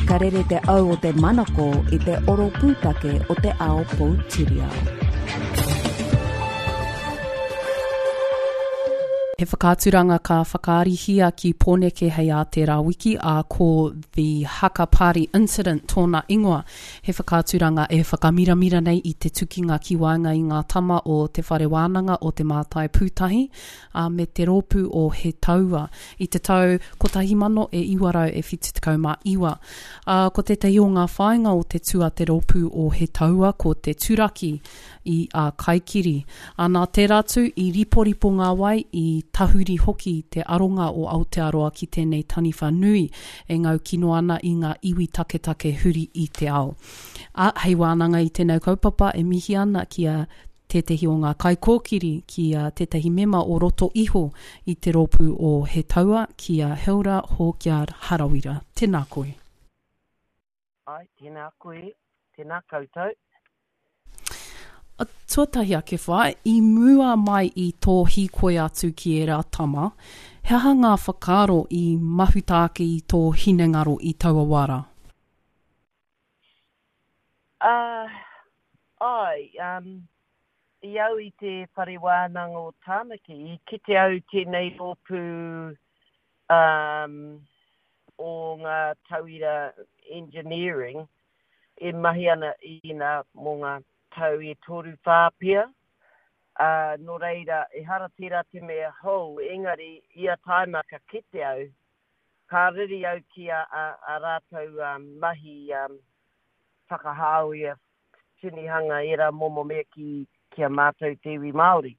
Ka rere te au o te manako i te oro pūtake o te ao poutiriao. He whakaaturanga ka whakaarihia ki Pōneke hei ā tērā wiki, ā, ko The Haka Party Incident tōna ingoa. He whakaaturanga e whakamiramira nei i te tukinga ki waenga i ngā tama o Te Whare Wānanga o Te Mātai Pūtahi, ā, me te rōpū o He Taua i te tau 1979. Ā, ko tētahi o ngā whāinga o te tū a te rōpū o He Taua ko te turaki i a Kaikiri. Ā, nā tērā tū i riporipo ngā wai, i tahuri hoki te aronga o Aotearoa ki tēnei taniwha nui e ngau kino ana i ngā iwi taketake huri i te ao. Ā, hei wānanga i tēnei kaupapa e mihi ana ki a tētehi o ngā kaikōkiri, ki a tētahi mema o roto iho i te rōpū o He Taua, ki a Hilda Hawkyard Harawira. Tēnā koe. Āe, tēnā koe, tēnā koutou. Tuatahi ake whae, i mua mai i tō hīkoi atu ki ērā tama, he aha ngā whakaaro i mahuta ake i tō hinengaro i taua wā rā? Āe, i au i te Whare Wānanga o Tāmaki, i kite au tēnei rōpū o ngā tauira engineering e mahi ana ina mō ngā tau e toruwhā pea, ā, nō reira, ehara tērā te mea hou, engari ia taima ka kite au, ka riri au ki a, a, a rātou mahi whakahāwea, tinihanga, ērā momo mea ki, ki a mātou te iwi Māori.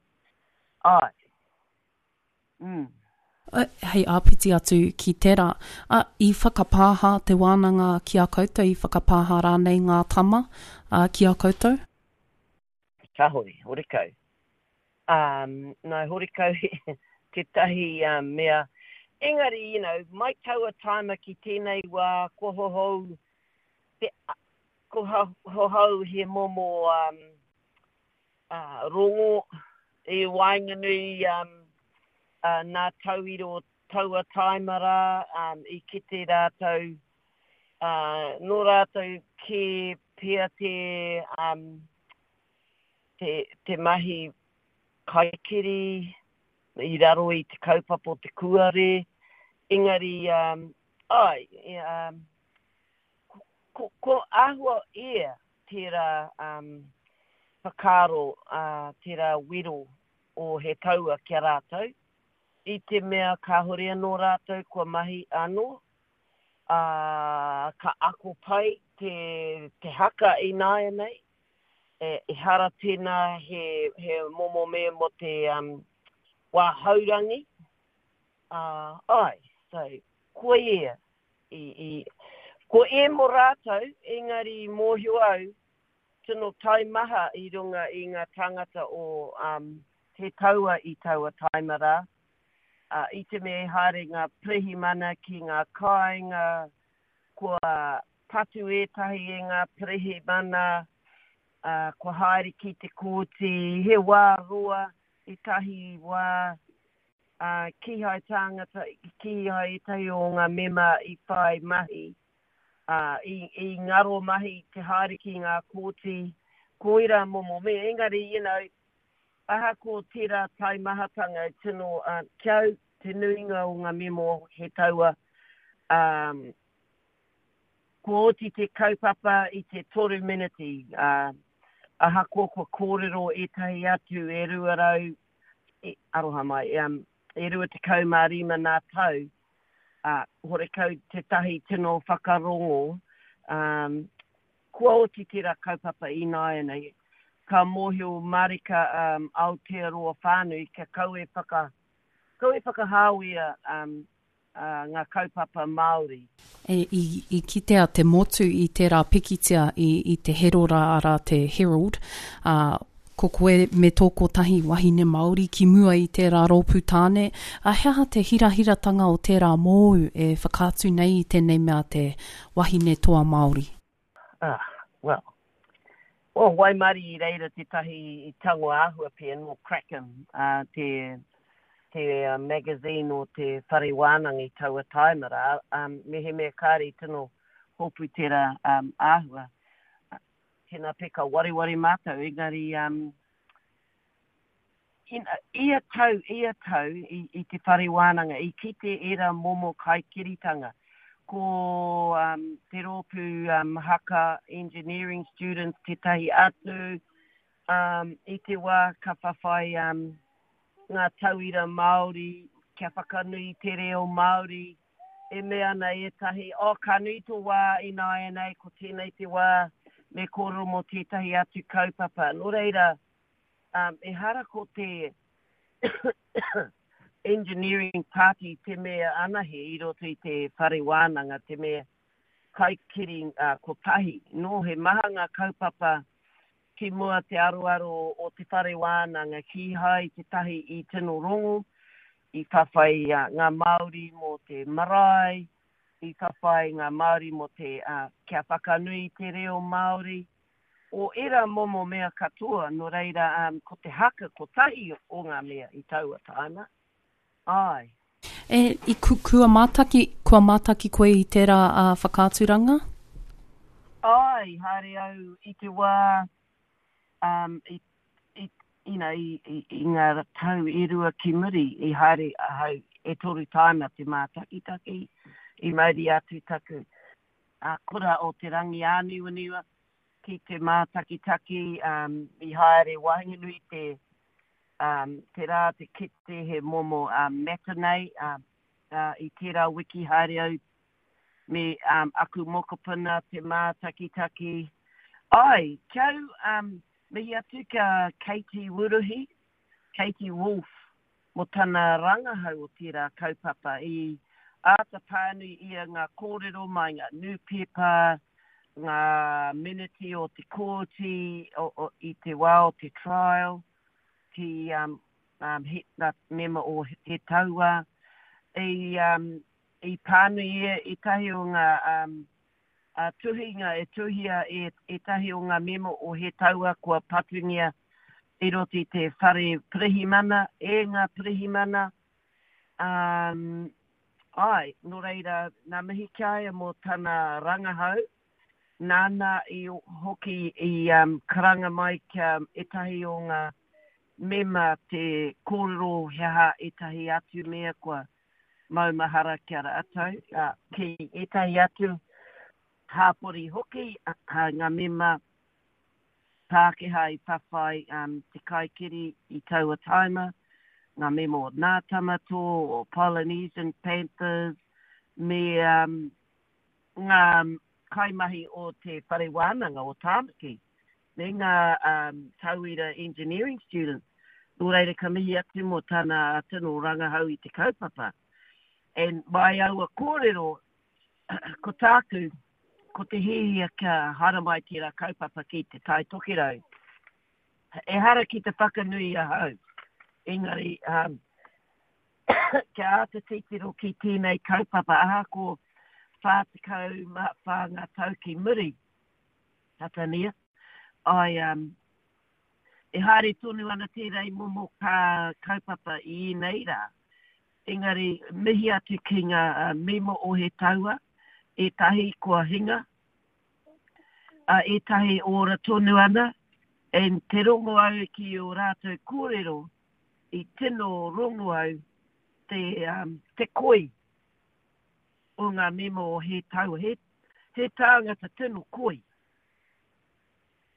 Āe. Mm. Hei āpiti atu ki tērā, ā, i whakapāha te wānanga ki a koutou, i whakapāha rānei ngā tama, ā, ki a koutou? Kāore, horekau. Ā, nā, horekau tētahi mea. Engari, you know, mai taua tāima ki tēnei wā, kua hohou te, kua hohou he momo, um, rongo i waenganui nā tauira o taua tāima rā, i kite rātou, nō rātou kē pea te, te, te mahi kaikiri i raro i te kaupapa o te kūare, engari, āe, ko, ko āhua ia tērā whakaaro, tērā wero o He Taua ki a rātou, i te mea kāhore anō rātou kua mahi anō, ā, ka ako pai te, te haka ināianei, ehara tēnā he, he momo mea mō te wā haurangi, ā, āe, so, koia I, i, ko e mo rātou, engari i mōhio au, tino taimaha i runga i ngā tāngata o um, He Taua i taua taima rā. Uh, i te mea i haere ngā pirihimana ki ngā kāinga, kua patu ētahi e ngā pirihimana, uh, kua haere ki te kōti, he wā roa, ētahi wā Ā, kīhai tāngata, kīhai ētahi o ngā mema i whai mahi, ā, i, i ngaro mahi te haere ki ngā kōti, koirā momo mea. Engari, you know, ahakoa tērā taimahatanga e tino, ā, ki au, te nuinga o ngā mema o He Taua, ā, kua oti te kaupapa i te toru meneti, ā, ahakoa kua kōrero ētahi atu e 200 e, aroha mai, um, e 25 nā tau, ā, horekau tētahi tino whakarongo, um, kua oti tērā kaupapa ināianei, ka mōhio marika um, Aotearoa whānui kia kau e whaka, kau e whakahāwea um, ngā kaupapa Māori. E, i, i kitea te motu i tērā pikitia i, i te Herora, arā te Herald, ā, ko koe me tō kotahi wahine Māori ki mua i tērā rōpū tāne, ā, he aha te hirahiratanga o tērā mōu e whakaatu nei i tēnei mea te wahine toa Māori? Ah, well, well, waimarie i reira tētahi i tango āhua pea nō Kraken, uh, te, te magazine o te whare wānanga i taua taima rā, um, mehemea kāre i tino hopu tērā um, āhua. Tēnā pea ka wareware mātou, engari um, ina, ia tau, ia tau i, i te whare wānanga, i kite ērā momo kaikiritanga. Ko um, te rōpū um, haka engineering students tētahi atu, um, i te wā ka whawhai um, ngā tauira Māori kia whakanui te reo Māori, e mea ana ētahi, oh, ka nui tō wā ināianei, ko tēnei te wā me kōrero mō tētahi atu kaupapa. Nō reira, um, ehara ko te engineering party te mea anahe i roto i te whare wānanga, te mea kaikiri uh, kotahi. Nō, he maha ngā kaupapa Ki mua te aroaro o te whare wānanga, kīhai tētahi i tino rongo, i whawhai ngā Māori mō te marae, i whawhai ngā Māori mō te kia whakanui te reo Māori, o ērā momo mea katoa, nō reira ko te haka kotahi o ngā mea i taua tāima, āe. E, i ku, kua mātaki, kua mātaki koe i tērā uh, whakaaturanga? Āe, i haere au i te wā, um, i, i, you know, i, i, i ngā tau e rua ki muri, i haere ahau e toru tāima te mātakitaki, i mauri atu taku uh, kura o Te Rangiāniwaniwa ki te mātakitaki, um, i haere waenganui te, Um, tērā te kite he momo um, matinee, um, uh, i tērā wiki haere au me um, aku mokopuna te mātakitaki. Ai, kia au, um, mihi atu kia Katie Wuruhi, Katie Wolfe, mo tana rangahau o tērā kaupapa. I āta pānui ia ngā kōrero mai ngā nūpepa, ngā miniti o te kōti o, o, i te wā o te trial. ki um, um, he, ngā mema o He Taua. I, um, i pānui ia ētahi o ngā um, uh, tuhinga e tuhia e ētahi o ngā mema o He Taua kua patungia i roto i te whare pirihimana, e ngā pirihimana. Um, ai, nō reira, nā mihi ki a ia mō tana rangahau, Nāna i hoki i karanga mai kia ētahi o ngā mema te kōrero he aha ētahi atu mea kua maumahara ki a rātou, ki ētahi atu hāpori hoki, ngā mema Pākehā i whawhai te kaikiri i taua tāima, ngā mema o Nā Tamatō, o Polynesian Panthers, me ngā kaimahi o te Whare Wānanga o Tāmaki me ngā tauira engineering students. Nō reira ka mihi atu mō tana tino rangahau i te kaupapa. And mai aua kōrero, ko tāku, ko te hiahia kia haere mai tērā kaupapa ki Te Tai Tokerau. Ehara ki te whakanui ahau, engari um, kia āta titiro ki tēnei kaupapa ahako 44 ngā tau ki muri, Hatania, ai, um, e haere tonu ana tērā i momo kā kaupapa i ēnei rā. Engari, mihi atu ki ngā uh, mema o He Taua, ētahi kua hinga, uh, ētahi ora tonu ana, and te rongo au ki o rātou kōrero, i tino rongo au te, um, te koi o ngā mema o He Taua. He, he tāngata tino koi.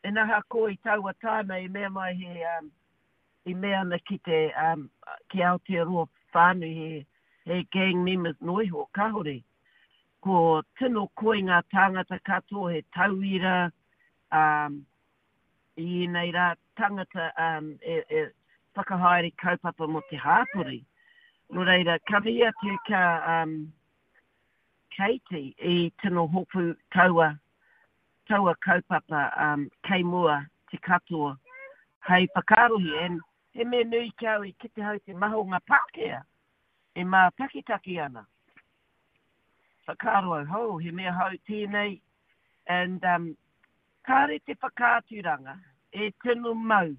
And ahakoa i taua tāima i mea mai he, um, i mea ana ki te, um, ki Aotearoa whānui he, he gang members noa iho, kāore. Ko tino koi ngā tāngata katoa, he tauira, um, i ēnei rā tangata um, e, e whakahaere kaupapa mō te hāpori. Nō reira, ka mihi atu ka um, Katie i tino hopu taua, taua kaupapa um, kei mua te katoa hei whakaarohi. And he mea nui ki au i kite hau te maha o ngā Pākehā e mātakitaki ana. Whakaaro au, ho, he mea hou tēnei, and um, Kāre te whakaaturanga e tino mau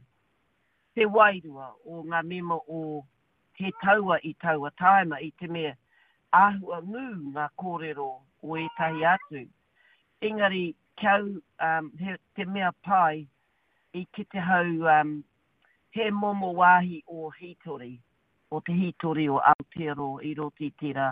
te wairua o ngā mema o He Taua i taua tāima i te mea āhua ngū ngā kōrero o ētahi atu. Engari, ki au, um, he, te mea pai, i kite hau um, he momo wāhi o hītori, o te hītori o Aotearoa i roto i tērā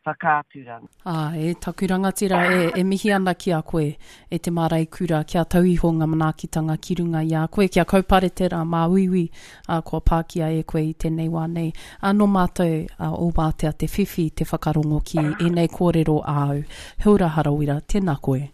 whakaaturanga. Ā, e taku rangatira, e, e mihi ana ki a koe, e te māreikura, kia tau iho ngā manaakitanga ki runga i a koe, kia kaupare tērā māuiui, ā, kua pākia e koe i tēnei wā nei. Ā, nō mātou, ā, o Wātea te whiwhi te whakarongo ki ēnei kōrero āu. He ora Harawira, tēnā koe.